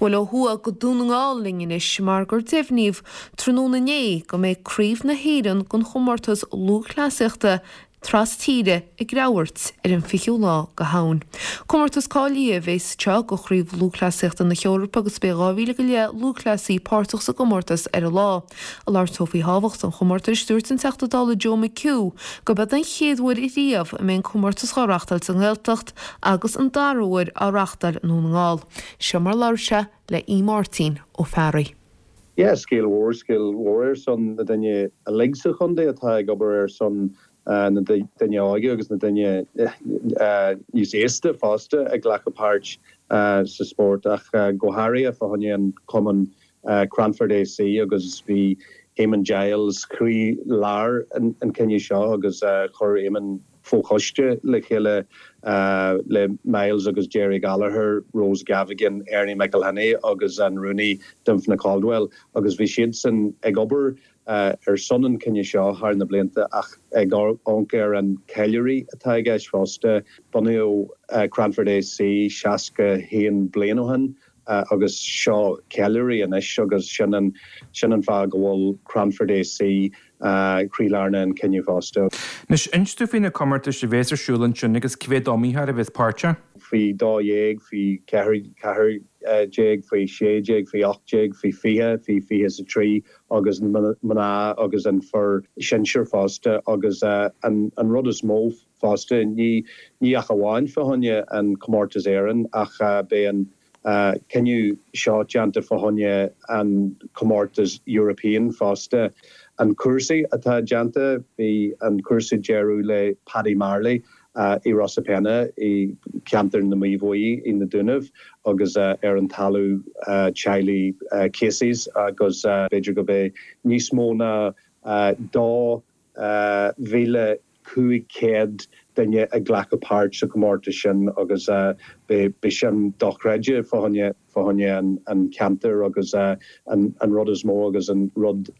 Bualadh ó thuaidh go Dún na nGall linn anois mar gur deimhníodh tráthnóna inné go mbeidh Craobh na hÉireann den chomórtas lúthchleasaíochta tras tíre i gCreamhghort ar an 20ú lá de Shamhain. Comórtas cáilithe a bheas anseo do Chraobh Lúthchleasaíochta na hEorpa agus beidh 2,000 go leith lúthchleasaí páirteach sa gcomórtas ar an lá. Ag labhairt dó faoi thábhacht an chomórtais, dúirt an Teachta Dála Joe McHugh gurb é den chéad uair riamh a mbeidh an comórtas á reáchtáil sa nGaeltacht agus an dara huair á reáchtáil i nDún na nGall. Seo mar a labhair sé le Aodh Máirtín Ó Fearraigh. Yeah, scéal mhór, scéal mhór ar son na daoine uilig sa chontae atá ag obair ar son na daoine óige agus na daoine níos aosta fosta ag glacadh páirt sa spórt ach go háirithe fá choinne an cumann Cranford AC agus bhí Eamon Giles croí lár an cinneadh seo agus chuir Eamon fochoiste le chéile le Myles agus Gerry Gallagher, Rose Gavigan, Ernie McElhinney agus an Rúnaí Dymphna Caldwell agus bhí siadsan ag obair ar son an chinnidh seo thar na blianta ach ag amharc ar an ceiliúradh atá i gceist fosta. Bunaíodh Cranford AC 61 bliain ó shin agus seo ceiliúradh anois agus sin an sin an fáth go bhfuil Cranford AC croílár an chinnidh fosta. Anois, inis dúinn faoi na comórtais a bhéas ar siúl ansin agus cé mhéad iomaitheoir a bhéas páirteach? Faoi 12, faoi 14, faoi 16, faoi 18, faoi 20, faoi 23 agus na mná agus an fir sinsir fosta agus an rud is mó fosta ní ní ach amháin fá choinne an comórtas Éireann ach beidh an cinneadh seo déanta fá choinne an comórtas European fosta. An cúrsa atá déanta, bhí an cúrsa deireadh le Paddy Marley i Rosapenna i ceantar na Mí Bhuí i na Dúnaibh agus ar an talamh teaghlaigh Casey's agus b'fhéidir go mbeidh níos mó ná 2,500 duine ag glacadh páirt sa chomórtas sin agus beidh sin dochreidte fá choinne fá choinne an cheantair agus an rud is mó agus an rud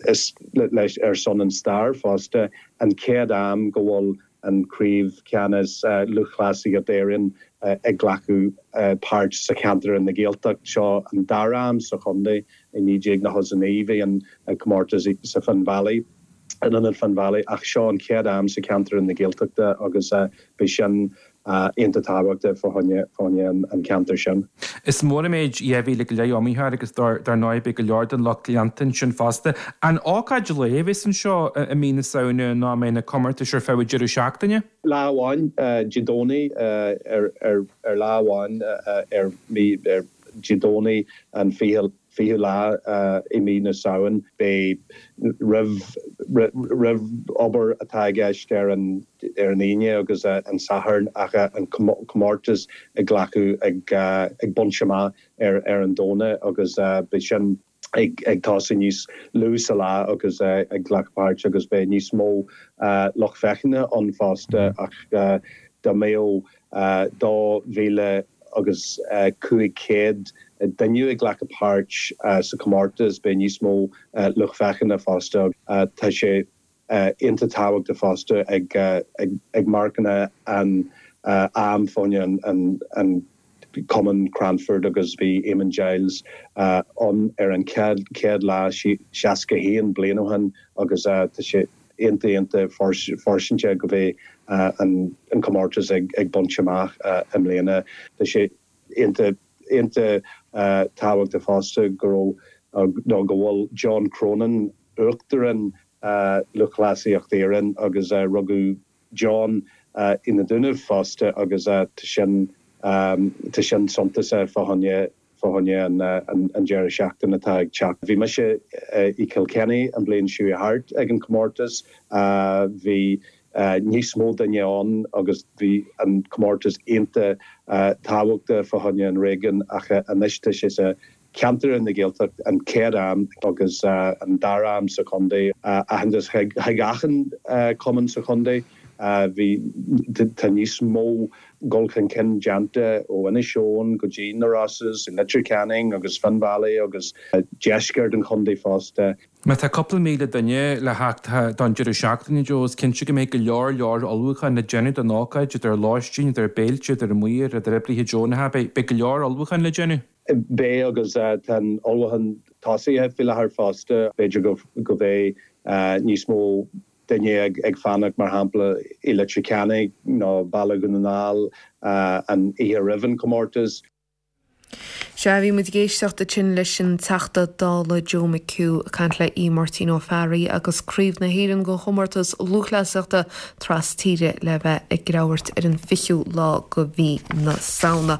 is leis ar son an stair fosta, an chéad am go bhfuil an Craobh Ceannais Lúthchleasaíocht Éireann ag glacadh páirt sa cheantar in na Gaeltacht. Seo an dara am sa chontae i 1999 bhí an comórtas sa Finn Valley, in Ionad Finn Valley ach seo an chéad am sa cheantar in na Gaeltachta agus beidh sin iontach tábhachtach fá choinne fá choinne an ceantar sin. Is mór an méid 2,000 go leith iomaitheoir agus dar ndóigh beidh go leor den lucht leanta ansin fosta. An ócáid lae a bheas anseo i mí na Samhna nó an mbeidh na comórtais ar feadh an deireadh seachtaine? Lá amháin, Dé Domhnaigh, ar ar lá amháin ar mí ar Dé Domhnaigh an 20 20ú lá i mí na Samhain. Beidh roimh roimh obair atá i gceist ar an ar an Aoine agus an Satharn ach an comórtas ag glacadh ag ag baint amach ar ar an Domhnach agus beidh sin ag ag tosú níos lú sa lá agus ag glacadh páirt agus beidh níos mó lucht féachana ann fosta ach dá mbeadh 2,000 agus 500 duine ag glacadh páirt sa chomórtas. Beidh níos mó lucht féachana fosta. Tá sé iontach tábhachtach fosta ag marcanna an am fá choinne an Cumann Cranford agus bhí Eamon Giles ann ar an chéad lá 61 bliain ó shin agus tá sé iontach iontach fairsinte go mbeidh an comórtas ag baint amach i mbliana. Tá sé iontach iontach tábhachtach fosta go raibh nó go bhfuil John Cronin, Uachtarán Lúthchleasaíocht Éireann agus rugadh John i na Dúnaibh fosta agus tá sin tá sin suntasach fá choinne fá choinne an deireadh seachtaine atá ag teacht. Bhí mise i Kilkenny an bliain seo thart ag an comórtas. Bhí níos mó duine ann agus bhí an comórtas iontach tábhachtach fá choinne an réigiún ach anois tá sé sa cheantar na Gaeltacht an chéad am agus an dara am sa chontae. Aitheantas chuig achan cumann sa chontae. Bhí tá níos mó dul chun cinn déanta ó Inis Eoghain go dtí na Rosses, Leitir Ceanainn agus Finn Valley agus deisceart an chontae fosta. Má tá cúpla 1,000 duine le theacht don deireadh seachtaine, Joe, is cinnte go mbeidh go leor leor ullmhúcháin le déanamh don ócáid, idir lóistín, idir béilte, idir maoir, idir oibrithe deonacha, beidh go leor ullmhúcháin le déanamh. Beidh agus tá an ullmhúchán tosaithe faoi láthair fosta. B'fhéidir go mbeidh níos mó duine ag fanacht, mar shampla, i Leitir Ceanainn nó Baile Dhún na nGall an oíche roimh an chomórtas. Sea, bhí muid ag éisteacht ansin leis an Teachta Dála Joe McHugh ag caint le Aodh Máirtín Ó Fearraigh agus Craobh na hÉireann den chomórtas lúthchleasaíochta tras tíre le bheith i gCreamhairt ar an 20ú lá de mhí na Samhna.